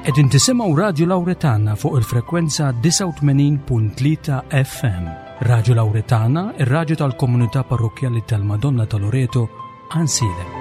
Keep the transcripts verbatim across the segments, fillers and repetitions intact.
Qegħdin tisimgħu Radju Lawretana fuq il-frekwenza disgħa u tmenin punt tlieta F M. Radju Lawretana, ir-radju tal-Komunità Parrokkjali tal-Madonna ta' Loreto, Għajnsielem.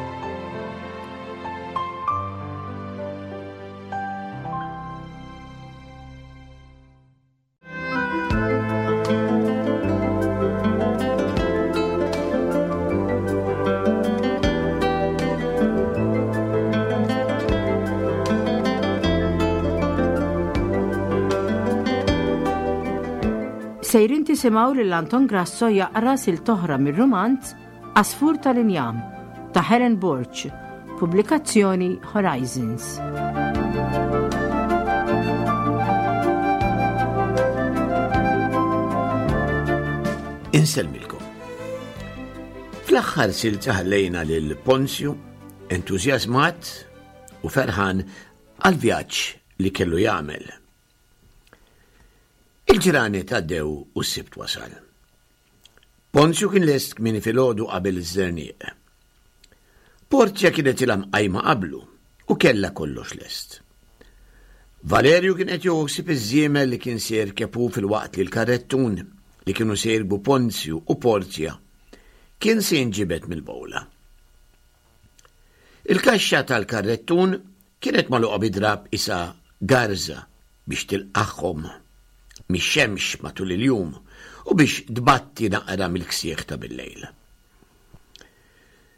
Sejrin tisimgħu lil Anton Grasso jaqra silta oħra mir-rumanz Għasfur tal-Injam ta' Helen Borg, pubblikazzjoni Horizons. Insellmilkom. Fl-aħħar silta ħallejna lil Ponzju entużjażmat u ferħan għal vjaġġ li kellu jagħmel. Il-ġranet għaddew u s-Sibt wasal. Ponzju kien lest kmieni filgħodu qabel iż-żerniq. Porzja kienet ilha mqajma qablu u kella kollox lest. Valerju kien qed joħsib iż-żiemel li kien se jirkeb hu filwaqt li l-karrettun li kienu se jirkbu Ponzju u Porzja kien se jinġibed mill-bowla. Il-kaxxa tal-karrettun kienet magħluqa bi drab isa garza biex tilqagħhom mix-xemx matul il-jum u biex tbatti naqra mill-ksieħ ta' bil-lejl.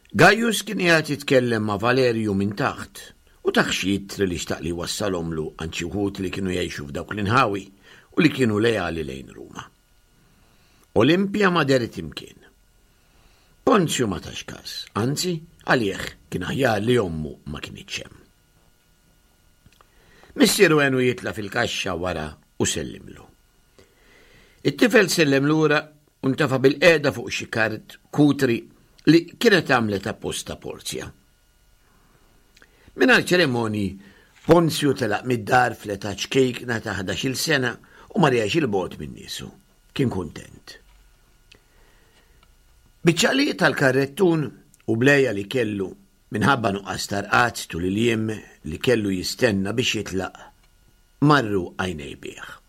Gaius kien qiegħed jitkellem ma' Valerju minn taħt u tah xi ittri li xtaq li wassalhomlu għand xi wħud li kienu jgħixu f'dawk l-inħawi u li kienu leali lejn Ruma. Olimpja ma dehret imkien. Ponzju ma tax kas, anzi, għalih kien aħjar li ommu ma kinitx hemm. Missieru għenu jitla fil-kaxxa wara u sellimlu. It-tifel sellem lura u ntefa' bilqiegħda fuq xi kart kutri li kienet għamlet apposta Porzja. Mingħajr ċerimonji, Ponzju telaq mid-dar fl-età ċkejkna ta' ħdax-il sena u ma riegħx il-bogħod minn niesu. Kien kuntent. Biċ-ċaqliq tal-karrettun u bl-għeja li kellu minħabba nuqqas ta' rqad tul il-jiem li kellu jistenna biex jitlaq, marru għajnejh bih.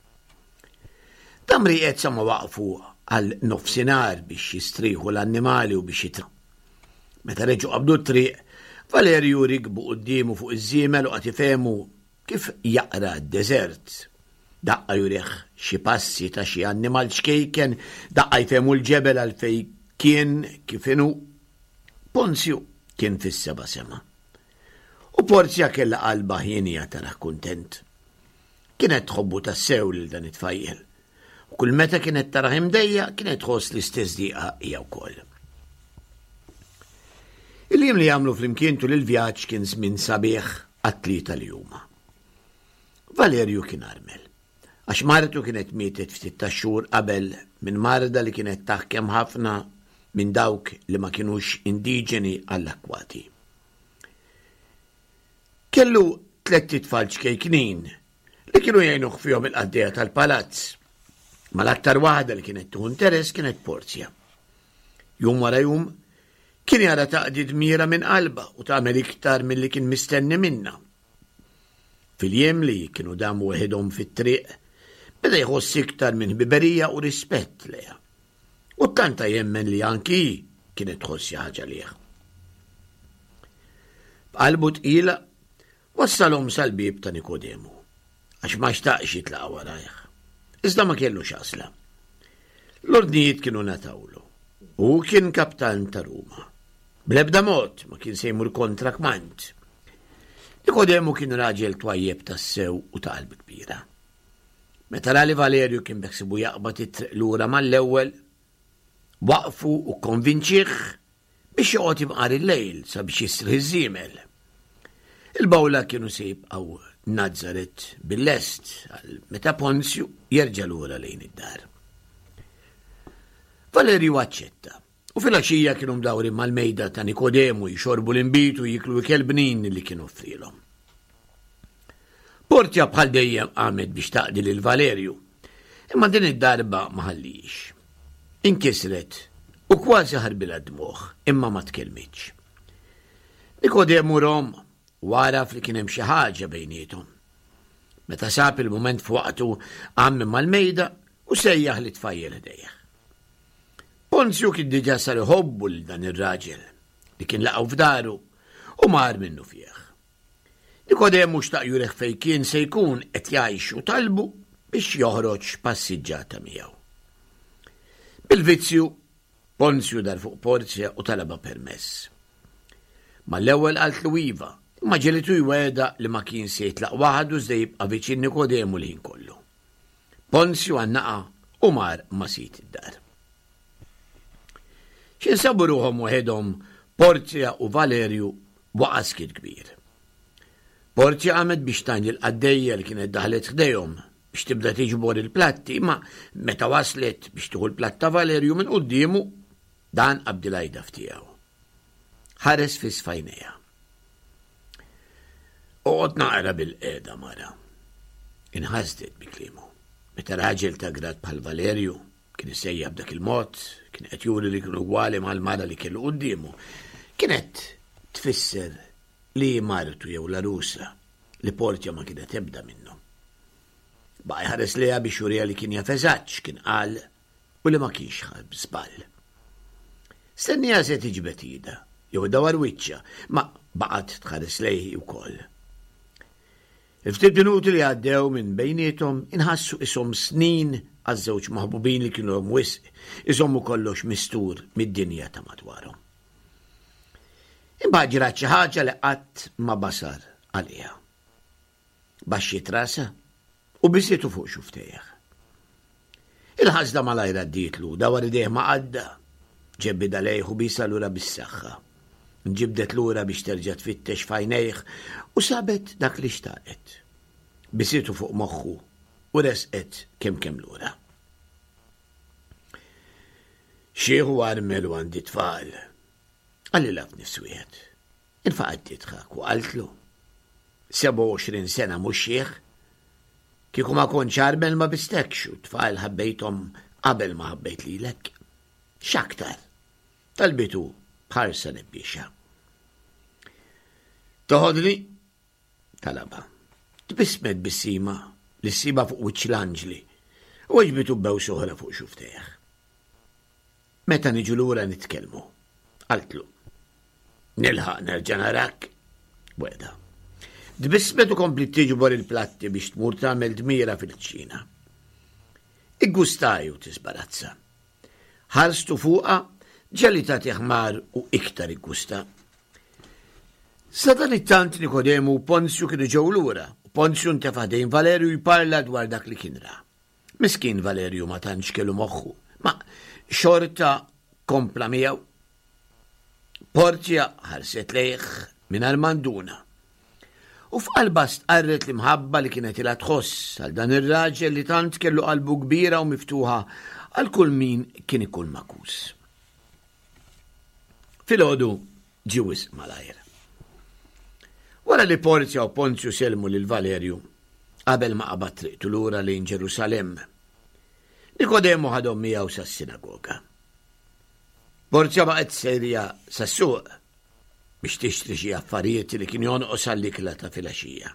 Dam rieqed sa ma waqfu għal nofsinhar biex jistrieħu l-annimali u biex jitra. Meta reġgħu qabdu t-triq, Valerju rikbu quddiemu fuq iż-żiemel u qagħad ifehmu kif jaqra d-deżert. Daqqa jurih xi passi ta' xi annimal ċkejken, daqqa jfehmu l-ġebel għalfejn kien kif inhu. Ponzju kien fis-seba' sema. U Porzja kella qalba hienja tarah kuntent. Kienet tħobbu tassew lil dan it-tfajjel. U kull meta kienet tarah imdejjaq kienet tħoss l-istess diqa hija wkoll. Il-jiem li għamlu flimkien tul il-vjaġġ kien żmien sabiħ għat-tlieta li huma. Valerju kien armel, għax martu kienet mietet ftit ta' xhur qabel minn marda li kienet taħkem ħafna minn dawk li ma kienux indiġeni għall-akkwati. Kellu tlett itfal ċkejknin li kienu jgħinuh fihom il-qaddejja tal-palazz. Ma l-aktar waħda li kienet tieħu interess kienet Porzja. Jum wara jum kien jara taqdi dmira minn qalba u tagħmel iktar milli kien mistenni minna. Fil-jiem li kienu damu weħidhom fit-triq, beda jħoss iktar minn ħbiberija u rispett lejha. U ttanta jemmen li anki kienet tħoss xi ħaġa lejh. B'qalbu tqila wassalhom sal-bieb ta' Nikodemu, għax ma xtaqx jitlaq warajh. Iżda ma kellux għażla. L-ordnijiet kienu ngħatawlu. U kien kaptan ta' Ruma. Bl-ebda mod ma kien se jmur kontra kmand. Nikodemu kien raġel twajjeb tassew u ta' qalb kbira. Meta ra li Valerju kien beħsiebu jaqbad it-triq lura mal-ewwel, waqfu u konvinċih biex joqgħod imqar il-lejl sabiex jistrieħ iż-żiemel. Il-bawla kienu se jibqgħu Nazaret bil-lest għal meta Ponzju jerġa' lura lejn id-dar. Valerju aċċetta u fil-għaxija kienu mdawrin mal-mejda ta' Nikodemu jixorbu l-inbid u jiklu ikel bnin li kienu offrielhom. Porzja bħal dejjem qamet biex taqdi lil Valerju, imma din id-darba ma ħallihiex. Inkisret u kważi ħarbilha d-dmugħ, imma ma tkellmitx. Nikodemu rahom u għaraf li kien hemm xi ħaġa bejniethom. Meta sab il-mument f'waqtu qam minn mal-mejda u sejjaħ lit-tfajjel ħdejh. Ponzju kien diġà sar iħobbu lil dan ir-raġel li kien laqgħu f'daru u mar minnu fih. Nikodemu xtaq jurih fejn kien se jkun qed jgħix u talbu biex joħroġ passiġġata miegħu. Bil-vizzju, Ponzju dar fuq Porzja u talaba permess. Mal-ewwel qaltlu iva, imma ġegħlitu jwegħedha li ma kien se jitlaq waħdu iżda jibqa' viċin Nikodemu l-ħin kollu. Ponzju għannaqa u mar ma' sid id-dar. X'ħin sabu ruħhom waħedhom Porzja u Valerju waqa' skiet kbir. Porzja qamet biex tgħin lill-qaddejja li kienet daħlet ħdejhom biex tibda tiġbor il-platti, imma meta waslet biex tieħu l-platt ta' Valerju minn quddiemu, dan qabdilha idha f'tiegħu. Ħares fiss f'għajnejha. Oqgħod naqra bilqiegħda mara. Inħasdet bi kliemu. Meta raġel ta' grad bħal Valerju kien isejjaħ b'dak il-mod, kien qed juri li kienu ugwali mal-mara li kellu quddiemu. Kienet tfisser li martu jew l-arusa li Porzja ma kienet ebda minnhom. Baqa' jħares lejha biex juriha li kien jaf eżatt x'kien qal u li ma kienx ħa żball. Stenniha se tiġbed idha jew iddawwar wiċċha, ma baqgħet tħares lejh ukoll. Il-ftit minuti li għaddew minn bejniethom inħassu qishom snin għaż-żewġ maħbubin li kienu wisq iżommu kollox mistur mid-dinja ta' madwarhom. Imbagħad ġrat xi ħaġa li qatt ma basar għaliha. Baxxiet rasha u bisitu fuq xufftejh. Il-ħasda malajr għaddietlu, dawwar idejh ma' qaddha, ġebidha lejh u biesha lura bis-saħħa. Nġibdet lura biex terġa' tfittex f'għajnejh u sabet dak li xtaqet. Bisitu fuq moħħu u resqet kemm kemm lura. Xiħ u armel u għandi tfal. Qalilha f'nifs wieħed. Infaqgħet tidħak u qaltlu. sebgħa u għoxrin sena mhux xiħ. Kieku ma kontx armel ma bistekx u tfal ħabbejthom qabel ma ħabbejt lilek. X'aktar? Talbitu b'ħarsa nebbiexa. Toħodni? Talaba. Tbissmet tbissima li ssibha fuq wiċċ l-anġli u weġbitu b'bewsa oħra fuq xufftejh. Meta niġu lura nitkellmu, qaltlu. Nilħaq nerġa' narak, wegħda. Tbissmet u kompli tiġbor il-platti biex tmur tagħmel dmira fil-kċina. Iggustaj u tisbarazza. Ħarstu fuqha ġelita tiħmar u iktar iggusta. Sadanittant Nikodemu u Ponzju kienu ġew lura u Ponzju ntefa' ħdejn Valerju jparla dwar dak li kien ra. Miskin Valerju ma tantx kellu moħħu, ma xorta kompla miegħu. Porzja ħarset lejh mingħajr manduna. U f'qalbha stqarret l-imħabba li kienet ilha tħoss għal dan ir-raġel li tant kellu qalbu kbira u miftuħa għal kull min kien ikun makus. Filgħodu ġie wisq malajr. Wara li Porzja u Ponzju selmu lil Valerju qabel ma qabad triqtu lura lejn Ġerusalemm, Nikodemu ħadhom miegħu sas-sinagoga. Porzja baqgħet sejra sas-suq biex tixtri xi affarijiet li kien jonqos għall-ikla ta' filgħaxija.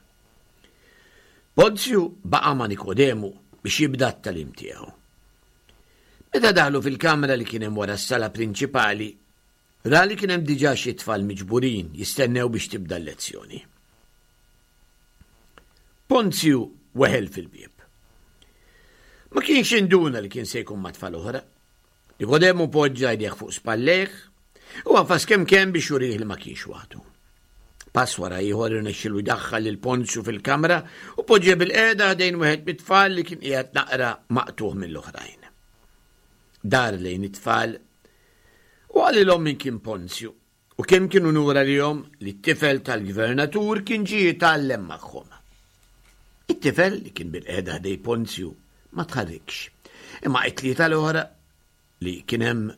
Ponzju baqa' ma' Nikodemu biex jibda t-tagħlim tiegħu. Meta daħlu fil-kamra li kien hemm wara s-sala prinċipali, ra li kien hemm diġà xi tfal miġburin jistennew biex tibda l-lezzjoni. Ponzju weħel fil-bieb. Ma kienx induna li kien se jkun ma' tfal oħra. Nikodemu poġġa jdejh fuq spallejh u għafas kemm kemm biex jurih li ma kienx waħdu. Pass wara ieħor irnexxielu jdaħħal lil Ponzju fil-kamra u poġġa bilqiegħda ħdejn wieħed mit-tfal li kien qiegħed naqra maqtuħ mill-oħrajn. Dar lejn it-tfal u qalilhom min kien Ponzju u kemm kien unur għalihom li t-tifel tal-gvernatur kien ġie jitgħallem magħhom. It-tifel li kien bilqiegħda ħdej Ponzju ma tħarrikx, imma it-tlieta l-oħra li kien hemm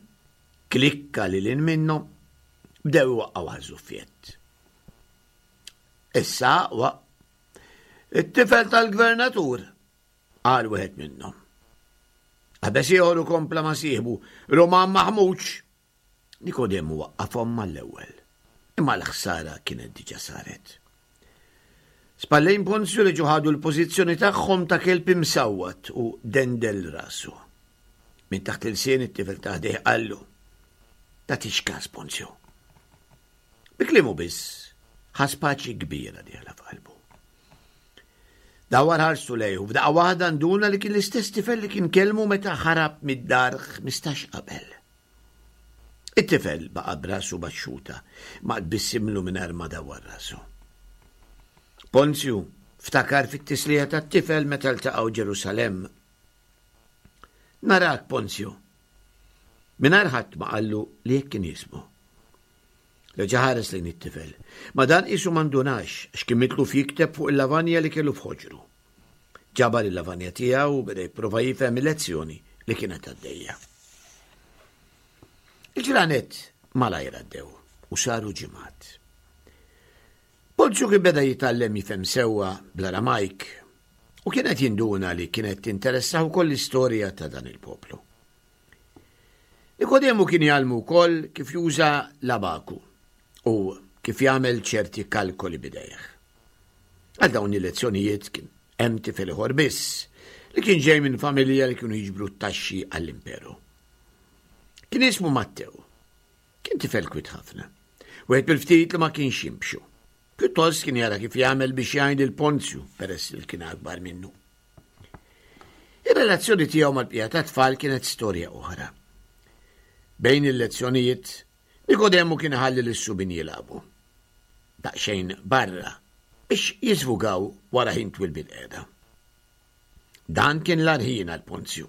klikka lil hinn minnhom bdew iwaqqgħu għaż-żuffiett. Issa aqwa, it-tifel tal-gvernatur, qal wieħed minnhom. Qabeż ieħor u kompla ma' sieħbu, Roman maħmuġ. Nikodemu waqqafhom mal-ewwel, imma l-ħsara kienet diġà saret. Spallejn Ponzju reġgħu ħadu l-pożizzjoni tagħhom ta' kelb imsawwat u dendel rasu. Minn taħt ilsien it-tifel ta' ħdejh qallu: "Tagħtix każ, Ponzju." Bi kliemu biss ħass paċi kbira dieħla f'qalbu. Dawar ħarstu lejh u f'daqqa waħda nduna li kien l-istess tifel li kien kellmu meta ħarab mid-dar ħmistax qabel. It-tifel baqa' b'rasu baxxuta, ma tbissimlu mingħajr ma dawar rasu. Ponzju ftakar fit-tislija tat-tifel meta ltaqgħu Ġerusalemm. Narak, Ponzju. Mingħajr ħadd ma qallu li hekk kien jismu. Reġa' ħares lejn it-tifel, ma dan qisu ma ndunax għax kien mitluf jikteb fuq il-lavanja li kellu f'ħoġru. Ġabar il-lavanja tiegħu u beda jipprova jifhem il-lezzjoni li kienet għaddejja. Il-ġranet malajr għaddew u saru ġimgħat. Ponzju kien beda jitgħallem jifhem sewwa bl-Aramajk u kien qed jinduna li kienet tinteressah ukoll l-istorja ta' dan il-poplu. Nikodemu kien jgħallmu wkoll kif juża l-abaku u kif jagħmel ċerti kalkoli b'idejh. Għal dawn il-lezzjonijiet kien hemm tifel ieħor biss li kien ġej minn familja li kienu jiġbru t-taxxi għall-imperu. Kien jismu Mattew. Kien tifel kwit ħafna. Wieħed bil-ftit li ma kienx jimbxu. Pjuttost kien jara kif jagħmel biex jgħin lil Ponzju peress li kien akbar minnu. Ir-relazzjoni tiegħu mal-bqija tat-tfal kienet storja oħra. Bejn il-lezzjonijiet, Nikodemu kien iħalli lis-subien jilagħbu. Daqsxejn barra biex jiżvugaw wara ħin twil bil-qiegħda. Dan kien l-agħar ħin għal Ponzju.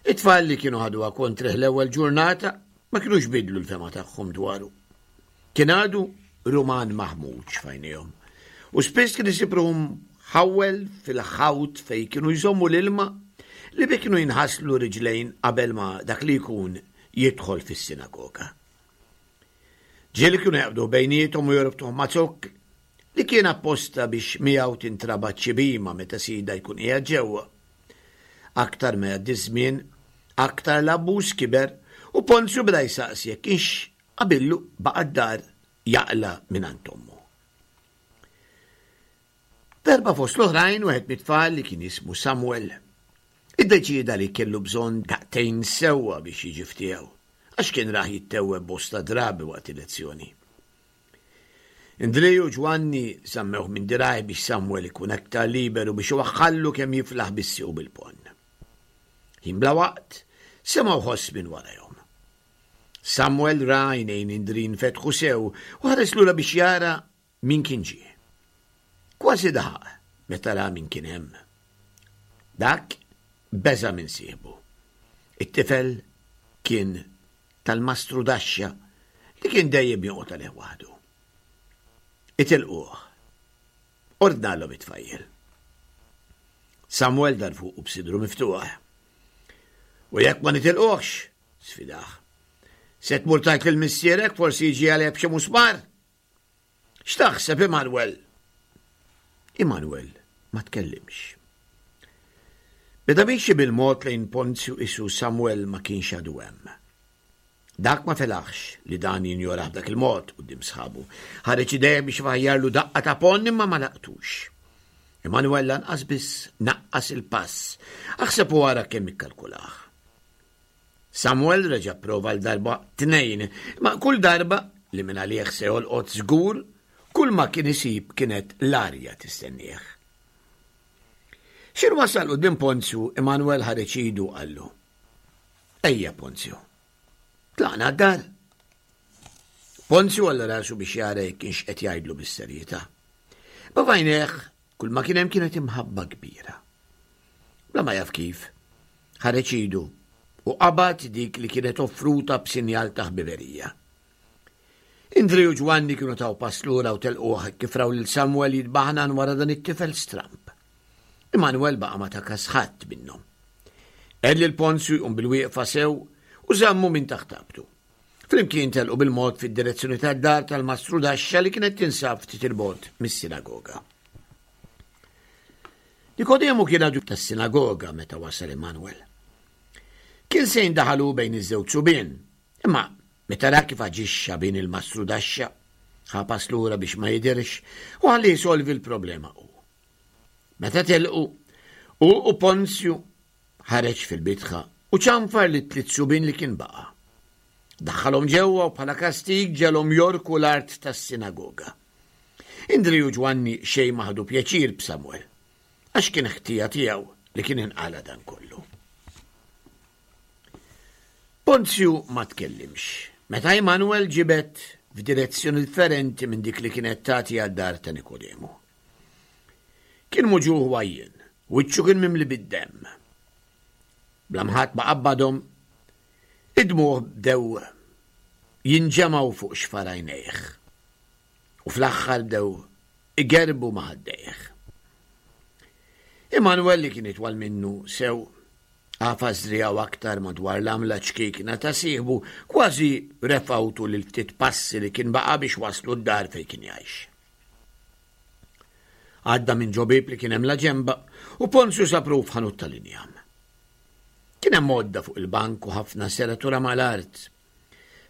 It-tfal li kienu ħaduha kontrih l-ewwel ġurnata ma kinux bidlu l-fehma tagħhom dwaru. Kien għadu Ruman maħmuġ f'għajnejhom u spiss kien isib ruħu mħawwel fil-ħawt fejn kienu jżommu l-ilma li bih kienu jinħaslu riġlejn qabel ma dak li jkun jidħol fis-sinagoga. Ġieli kienu jaqbdu bejniethom u jorbtuh ma' zokk li kien apposta biex miegħu tintrabat xi bhima meta sidha jkun qiegħed ġewwa. Aktar ma jgħaddi ż-żmien, aktar l-abbuż kiber u Ponzju beda jsaqsi jekk kienx qabillu baqa' d-dar jaqla' mingħand ommu. Darba fost l-oħrajn wieħed mit-tfal li kien jismu Samuel iddeċieda li kellu bżonn daqtejn sewwa biex jiġi f'tiegħu għax kien rah jittewweb bosta drabi waqt il-lezzjoni. Indriju u Ġwanni żammewh minn dirgħajh biex Samuel ikun aktar liberu biex iwaħħallu kemm jiflaħ bis-sieq u bil-ponn. Ħin bla waqt semgħu ħoss minn warajhom. Samuel ra għajnejn Indri nfetħu sew u ħares lura biex jara min kien ġie. Kważi daħaq meta ra min kien hemm. Dak beża' minn sieħbu. It-tifel kien tal-mastru Daxxa li kien dejjem joqgħod għalih waħdu. Itilquh. Ordnalhom it-tfajjel. Samuel dar fuqu b'sidru miftuħ. U jekk ma nitilquhx, sfidah. Se tmur tgħid lil missierek forsi jiġi għalih b'xi musmar? X'taħseb, Immanuel? Immanuel ma tkellimx. Beda miexi bil-mod lejn Ponzju qisu Samuel ma kienx għadu hemm. Dak ma felaħx li dan jinjorah b'dak il-mod quddiem sħabu. Ħareġ idejh biex ifaħjarlu daqqa ta' ponn imma ma laqtux. Immanuel lanqas biss naqqas il-pass. Aħseb u ara kemm ikkalkulah. Samuel reġa' prova l darba tnejn, ma kull darba li minn għalih se jolqot żgur, kull ma kien isib kienet l-arja tistennieh. X'ħin wasal quddiem Ponzju, Immanuel ħareġ idu qallu: Ejja Ponzju, tlaqna d-dar. Ponzju għolla rasu biex jara jekk kienx qed jgħidlu bis-serjetà. Ma f'għajnejh kull ma kien hemm kienet imħabba kbira. Bla ma jaf kif, ħareġ idu u qabad dik li kienet offruta b'sinjal ta' ħbiberija. Indri u Ġwanni kienu taw pass lura u telquh kif raw lil Samuel jitbaħnan wara dan it-tifel stramb. Immanuel baqa' ma ta kas ħadd minnhom. Għen lil Ponzju jqum bil-wieqfa sew u żammu minn taħt abtu. Flimkien telqu bil-mod fid-direzzjoni tad-dar tal-mastru Daxxa li kienet tinsab ftit il-bogħod mis-sinagoga. Nikodemu kien għadu tas-sinagoga meta wasal Immanuel. Kien se jindaħalu bejn iż-żewġ subien, imma meta ra kif aġixxa bin il-mastru Daxxa, Ħa pass lura biex ma jidhirx u ħalli jsolvi l-problema hu. Meta telqu, hu u Ponzju ħareġ fil-bitħa u ċanfar lit-tliet subien li kien baqa'. Daħħalhom ġewwa u bħala kastig ġegħelhom jogħrku l-art tas-sinagoga. Indri u Ġwanni xejn ma ħadu pjaċir b'Samuel, għax kien ħtija tiegħu li kien inqala dan kollu. Ponzju ma tkellimx meta Emanuel ġibed f'direzzjoni differenti minn dik li kienet tagħti għad-dar ta' Nikodemu. Kien muġugħ u għajjien, wiċċu kien mimli bid-demm. Bla mħadd ma qabbadhom, id-dmugħ bdew jinġemgħu fuq xfar għajnejh u fl-aħħar bdew igerbu ma' ħaddejh. Emanuel li kien itwal minnu sew għafas driegħu aktar madwar l-għamla ċkejkna ta' sieħbu kważi refgħu tul il-ftit passi li kien baqa' biex waslu d-dar fejn kien jgħix. Għadda minn ġo bieb li kien hemm laġenba u Ponzju sab ruħu f'ħanut tal-injam. Kien hemm għodda fuq il-bank u ħafna seratura mal-art.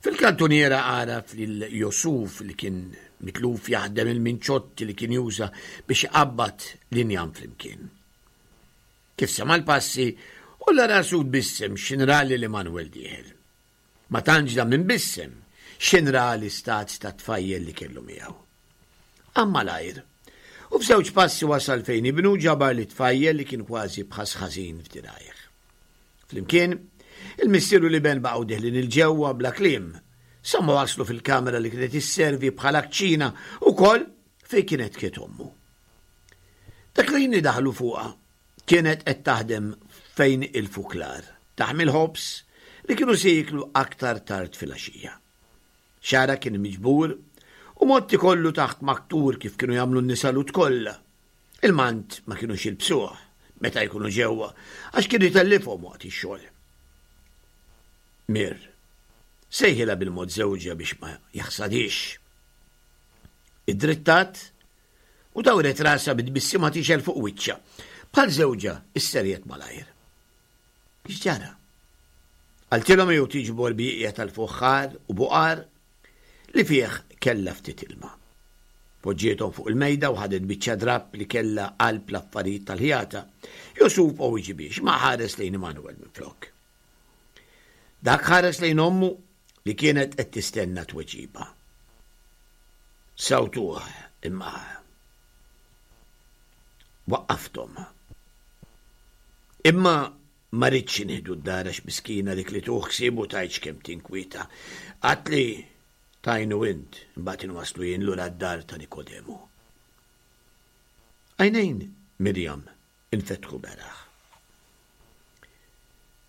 Fil-kantuniera għaraf lil Josuf li kien mitluf jaħdem il-minċotti li kien juża biex iqabbad l-injam flimkien. Kif sema' l-passi, għolla rasu tbissem x'ħin ra lil Emanuel dieħel. Ma tantx dam imbissem x'ħin ra l-istat tat-tfajjel li kellu miegħu. Qam malajr, u f'żewġ passi wasal fejn ibnu ġabar lit-tfajjel li kien kważi b'ħass ħażin f'dirgħajh. Flimkien, il-missier u l-iben baqgħu deħlin 'il ġewwa bla kliem, sa ma waslu fil-kamra li kienet isservi bħala kċina ukoll fejn kienet kiet ommu. Dak li jien daħlu fuqha kienet qed taħdem fejn il-fuklar, taħmi l-ħobż li kienu se jieklu aktar tard filgħaxija. Xagħarha kien miġbur u mgħotti kollu taħt maktur kif kienu jagħmlu n-nisa Lhud kollha. Il-mant ma kinux jilbsuh meta jkunu ġewwa għax kien itellifhom waqt ix-xogħol. Mir, sejħilha bil-mod żewġha biex ma jaħsadix. Id-drittat u dawret rasha bit-tbissima tixgħel fuq wiċċha. Bħal żewġha isserjet malajr. X'ġara? Qaltilhom jew tiġbor bieqja tal-fuħħar u buqar li fih kellha ftit ilma. Poġġiethom fuq il-mejda u ħadet biċċa drapp li kellha qalb l-affarijiet tal-ħjata. Josuf ma wiġibhiex imma ħares lejn Emanuel minflok. Dak ħares lejn ommu li kienet qed tistenna tweġiba. Sawtuh imma waqqafthom. Imma ma ridtx nieħdu d-dar għax miskina dik li tieħu ħsiebu tgħidx kemm tinkwieta. Qaltli tgħinu int imbagħad inwasslu jien lura d-dar ta' Nikodemu. Għajnejn Mirjam infetħu beraħ.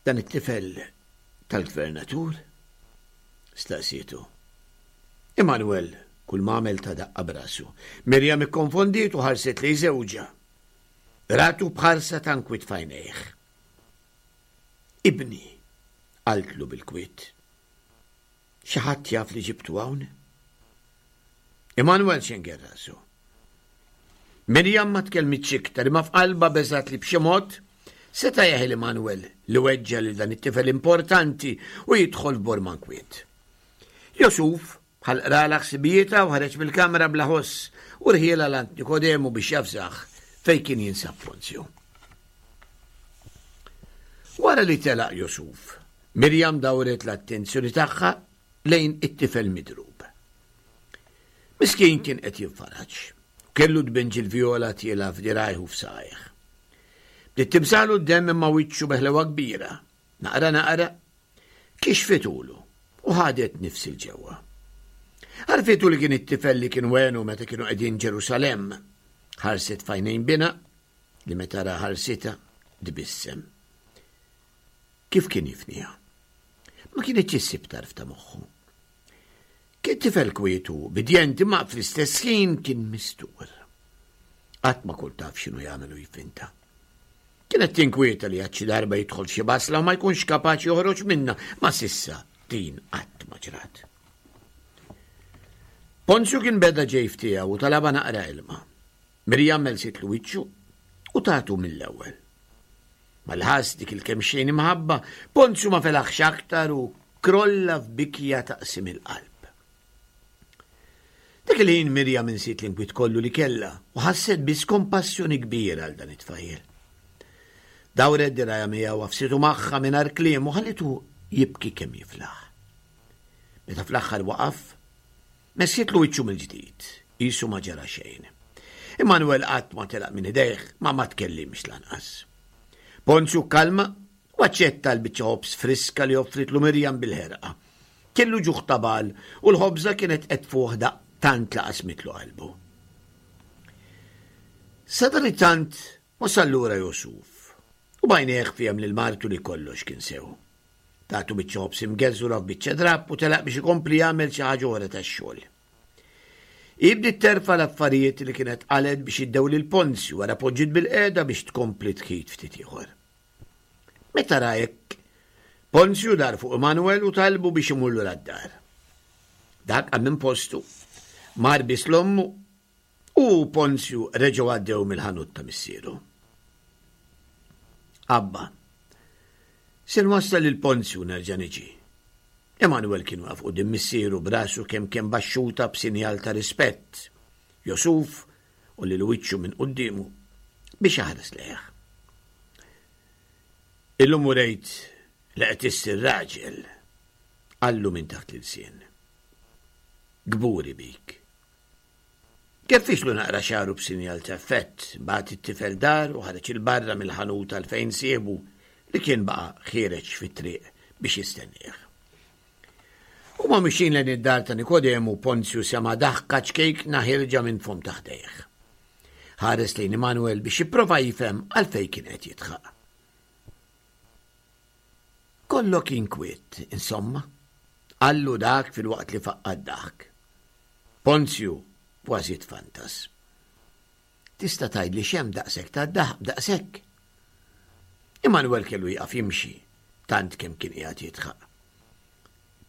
Dan it-tifel tal-gvernatur? Staqsietu. Emanuel kull ma għamel ta daqqa b'rasu. Mirjam ikkonfondiet u ħarset lejn żewġha. Ratu b'ħarsa ta' nkwiet f'għajnejh. Ibni, qaltlu bil-kwiet. Xi ħadd jaf li ġibtu hawn? Emanuel xenger rasu. Mirjam ma tkellmitx iktar imma f'qalbha beżgħet li b'xi mod seta' jeħel Emanuel li weġġa' lil dan it-tifel importanti u jidħol f'borma nkwiet. Josuf bħal qralha ħsibijietha u ħareġ mill-kamra bla ħoss u rħielha 'l għand Nikodemu biex jafżah fejn kien jinsab Ponzju. Wara li telaq Josuf, Mirjam dawret l-attenzjoni tagħha lejn it-tifel midrub. Miskin kien qed jinfaraġ, u kellu tbenġil vjola tiela' f'dirgħajh u f'saqajh. Bdiet timsaħlu d-demm imma wiċċu beħlewa kbira. Naqra naqra, kixfitulu u ħadet nifs 'il ġewwa. Għarfitu li kien it-tifel li kien wenu meta kienu qegħdin Ġerusalemm. Ħarset f'għajnejn binha li meta ra ħarsitha tbissem. Kif kien jifniha? Ma kienx issib tarf ta' moħħu. Kien tifel kwiet u ubbidjenti ma fl-istess ħin kien mistur. Qatt ma kont taf x'inhu jagħmel u jfinta. Kienet tinkwieta li għad xi darba jidħol f'xi basla u ma jkunx kapaċi joħroġ minna, ma s'issa din qatt ma ġrat. Ponzju kien beda ġej f'tiegħu u talabha naqra ilma. Mirjam melsitlu wiċċu u tatu mill-ewwel. Mal-ħass dik il-kemxejn imħabba, Ponzju ma felaħx aktar u krolla f'bikja taqsim il-qalb. Dak Dak il-ħin Mirjam insiet l-inkwiet kollu li kellha u ħasset biss kompassjoni kbira għal dan it-tfajjel. Dawret dirgħajha miegħu, għafsitu magħha mingħajr kliem u ħallitu jibki kemm jiflaħ. Meta fl-aħħar waqaf, messitlu wiċċu mill-ġdid, qisu ma ġara xejn. Immanuel qatt ma telaq minn idejh, ma ma tkellimx lanqas. Ponzju kalma u aċċetta l-biċċa ħobż friska li offritlu Mirjam bil-ħerqa. Kellu ġuħ ta' bagħal u l-ħobża kienet qed tfuħ daqq tant la qasmitlu qalbu. Sadanittant wasal lura Jusuf u b'għajnejh fehem lil martu li kollox kien sew. Tatu biċċa ħobż imgeżwra f'biċċa drapp u telaq biex ikompli jagħmel xi ħaġa oħra tax-xogħol. Hi bdiet terfa' l-affarijiet li kienet qalgħet biex iddew lil Ponzju wara poġġiet bilqiegħda biex tkompli tħit ftit ieħor. Meta ra hekk, Ponzju dar fuq Emanuel u talbu biex imur lura d-dar. Dak qam minn postu, mar bies 'l ommu u Ponzju reġgħu għaddew mill-ħanut ta' missieru. Abba, se nwassal lil Ponzju nerġa' niġi. Emanuel kien waqaf quddiem missieru b'rasu kemm kemm baxxuta b'sinjal ta' rispett. Jusuf għollielu wiċċu minn quddiemu biex iħares lejh. Illum urejt li qed issir raġel, qallu minn taħt l-ilsien. Kburi bik. Kerfixlu naqra xagħru b'sinjal ta' effett, bagħat it-tifel dar u ħareġ 'il barra mill-ħanut għal fejn sieħbu li kien baqa' ħiereġ fit-triq biex jistennieh. Huma mixjin lejn id-dar ta' Nikodemu, Ponzju sema' daħka ċkejkna ħierġa minn fomm ta' ħdejh. Ħares lejn Emanuel biex jipprova jifhem għalfejn kien qed jidħaq. Kollok inkwiet, insomma, qallu dak filwaqt li faqqa' d-daħk. Ponzju kważi tfantas. Tista' tgħidli x'hemm daqshekk ta' daħk daqshekk? Emanuel kellu jieqaf jimxi, tant kemm kien qiegħed jidħaq.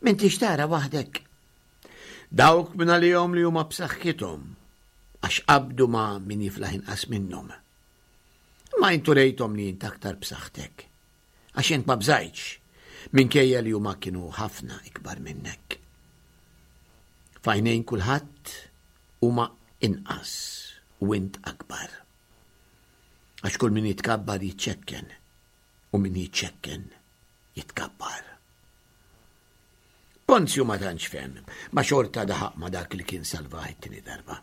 M'intix tara waħdek. Dawk minn għalihom li huma b'saħħithom għax qabdu ma' min jiflaħ inqas minnhom. Imma int urejthom li int aktar b'saħħtek. Għax int ma bżajtx minkejja li huma kienu ħafna ikbar minnek. F'għajnejn kulħadd huma inqas u int akbar. Għax kull min jitkabbar jiċċekken u min jiċċekken jitkabbar. Ponzju ma tantx fehem, ma xorta daħaq ma dak li kien salvah it-tieni darba.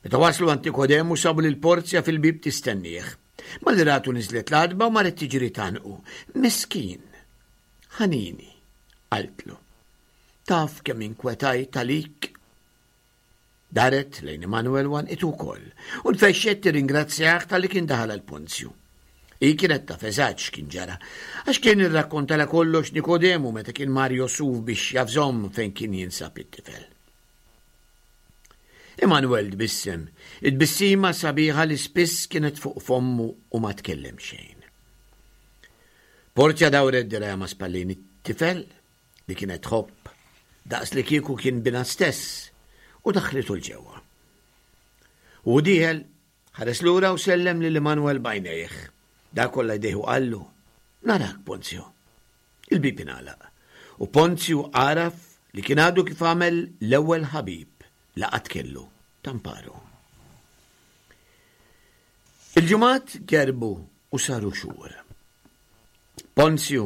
Meta waslu għand Nikodemu sabu lil Porzja fil-bib tistennieh. Malli ratu niżlet l-għatba u marret tiġri tgħannqu. Miskin, ħanini, qaltlu. Taf kemm inkwetajt għalik? Daret lejn Emanuel u għannqitu wkoll u nfexxet tirringrazzjah talli kien daħal għal Ponzju. Hi kienet taf eżatt x'kien ġara, għax kien irrakkontalha kollox Nikodemu meta kien mar Josuf biex javżahom fejn kien jinsab it-tifel. Emanuel tbissem, it-tbissima sabiħa li spiss kienet fuq fommu u ma tkellem xejn. Porzja dawret dirgħajha ma' spallejn it-tifel li kienet tħobb daqs li kieku kien binha stess u daħlitu 'l ġewwa. U dieħel, ħares lura u sellem lil Emanuel b'għajnejh. Dak għolla jdejh u qallu, narak Ponzju. Il-bib ingħalaq u Ponzju għaraf li kien għadu kif għamel l-ewwel ħabib li qatt kellu tamparu. Il-ġimgħat gerbu u saru xhur. Ponzju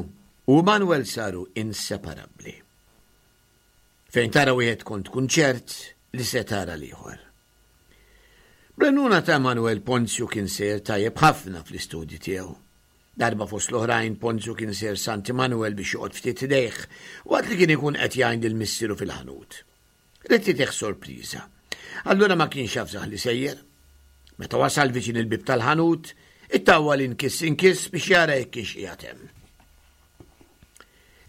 u Manuel saru inseparabbli. Fejn tara wieħed kont tkun ċert li se tara l-ieħor. Bl-għajnuna ta' Manuel Ponzju kien sejjer tajjeb ħafna fl-istudji tiegħu. Darba fost l-oħrajn Ponzju kien sejjer s'għand Emanuel biex joqgħod ftit ħdejh waqt li kien ikun qed jgħin lil missieru fil-ħanut. Ried itih sorpriża. Allura ma kienx jafżah li sejjer. Meta wasal viċin il-bib tal-ħanut, ittawwal inkiss inkiss biex jara jekk kienx qiegħed hemm.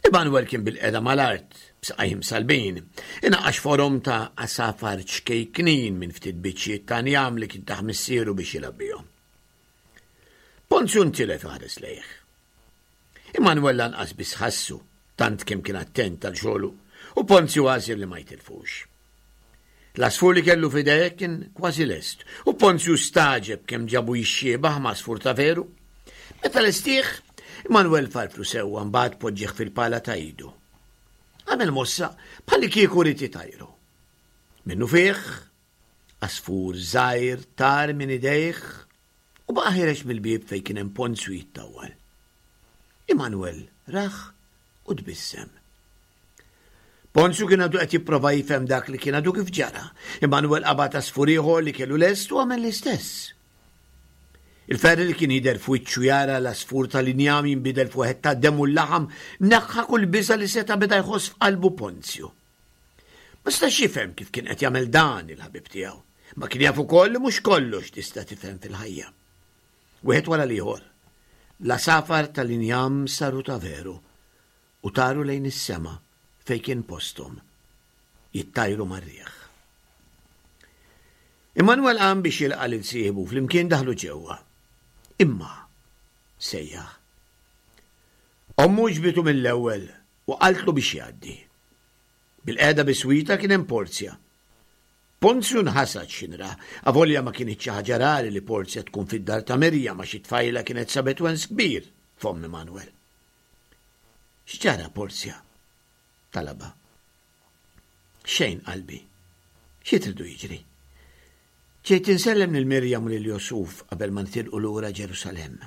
Emanuel kien bilqiegħda mal-art, b'saqajh imsallbin, inaqqax forom ta' għasafar ċkejknin minn ftit biċċiet ta' njam li kien tah missieru biex jilgħab bihom. Ponzju ntilef iħares lejh. Emanuel lanqas biss ħassu, tant kemm kien attent għal xogħlu, u Ponzju għażel li ma jitilfux. L-għasfur li kellu f'idejh kien kważi lest, u Ponzju stagħġeb kemm ġabu jixxiebaħ ma' għasfur ta' veru. Meta lestih, Emanuel farfru sewwa mbagħad poġġih fil-pala ta' idu. Għamel mossa bħalli kieku ried itajru. Minnufih, għasfur żgħir tar minn idejh u baqa' ħiereġ mill-bieb fejn kien hemm Ponzju jittawwal. Immanuel rah u tbissem. Ponzju kien għadu qed jipprova jifhem dak li kien għadu kif ġara. Immanuel qabad għasfur ieħor li kellu lest u għamel l-istess. Il-ferħ li kien jidher f'wiċċu jara l-għasfur tal-injam jinbidel f'wieħed tad-demm u l-laħam neħħa kull biża' li seta' beda jħoss f'qalbu Ponzju. Ma setax jifhem kif kien qed jagħmel dan il-ħabib tiegħu. Ma kien jaf ukoll li mhux kollox tista' tifhem fil-ħajja. Wieħed wara l-ieħor, l-għasafar tal-injam saru ta' veru u taru lejn is-sema fejn kien posthom, jittajru mar-riħ. Immanuel qam biex jilqa' lil sieħbu flimkien daħlu ġewwa. Imma sejjaħ. Ommu ġbitu mill-ewwel u qaltlu biex jgħaddi. Bil-qeda biswita kien hemm Porzja. Ponzju nħasad x'inra, avolja ma kinitx xi ħaġa rari li Porzja tkun fid-dar ta' Mirjam għax it-tfajla kienet sabet wens kbir f'omm Immanuel. X'ġara Porzja? talabha. Xejn qalbi. Xi tridu jiġri? Ġejt insellem lil Mirjam u lil Josuf qabel ma nitilqu lura Ġerusalemm.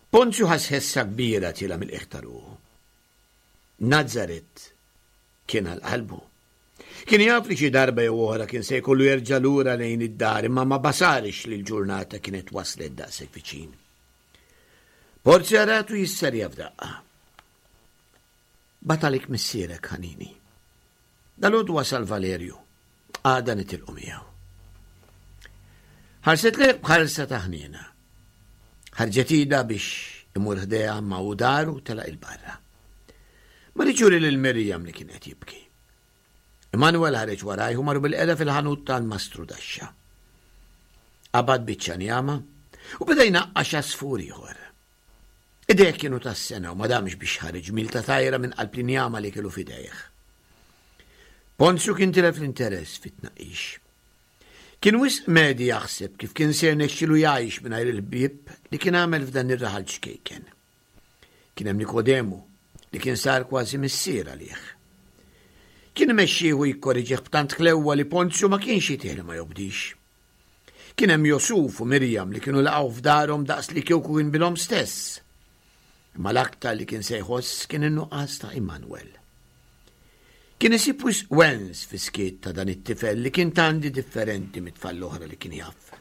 Ponzju ħass ħessa kbira tiela' mill-qiegħ ta' ruħu. Nazaret kien għal qalbu. Kien jaf li xi darba jew oħra kien se jkollu jerġa' lura lejn id-dar imma ma basarx li l-ġurnata kienet waslet daqshekk viċin. Porzja ratu jisserja f'daqqa. Bagħat għalik missierek ħanini. Dalgħodu wasal Valerju. Għada nitilqu miegħu. Ħarset lejh b'ħarsa ta' ħniena. Ħarġet idha biex imur ħdejha ma hu dar u telaq 'il barra. Ma riedx juri lil Mirjam li kien qed jibki. Emanuel ħareġ warajh u marru bil-qeda fil-ħanut tal-mastru daxxa. Qabad biċċa njama u beda jnaqqax għasfur ieħor. Idejh kienu tas-sena u ma damx biex ħareġ mil ta' tajra minn qalb l-injama li kellu f'idejh. Ponzju kien tilef l-interess fit-tnaqqix. Kien wisq medhi jaħseb kif kien se jirnexxilu jgħix mingħajr il-ħbieb li kien għamel f'dan ir-raħal ċkejken. Kien hemm Nikodemu li kien sar kważi missier għalih. Kien imexxih u jikkoreġih b'tant ħlewwa li Ponzju ma kienx jitih li ma jobdix. Kien hemm Josuf u Mirjam li kienu laqgħu f'darhom daqs li kieku kien binhom stess. Imma l-aktar li kien se jħoss kien in-nuqqas ta' Immanuel. Kien isib wisq wens fis-skiet ta' dan it-tifel li kien tandi differenti mit-tfal l-oħra li kien jaf.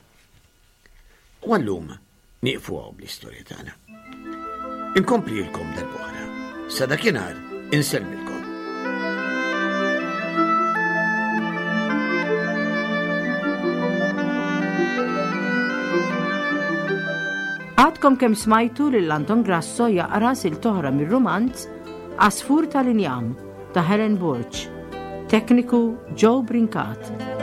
U għallum nieqfu hawn bl-istorja tagħna. Inkomplilkom darb'oħra. Sa dakinhar insellmilkom. Għadkom kemm smajtu lil Anton Grasso jaqra silta oħra mir-rumanz Għasfur tal-Injam ta' Helen Borg. Tekniku Joe Brincat.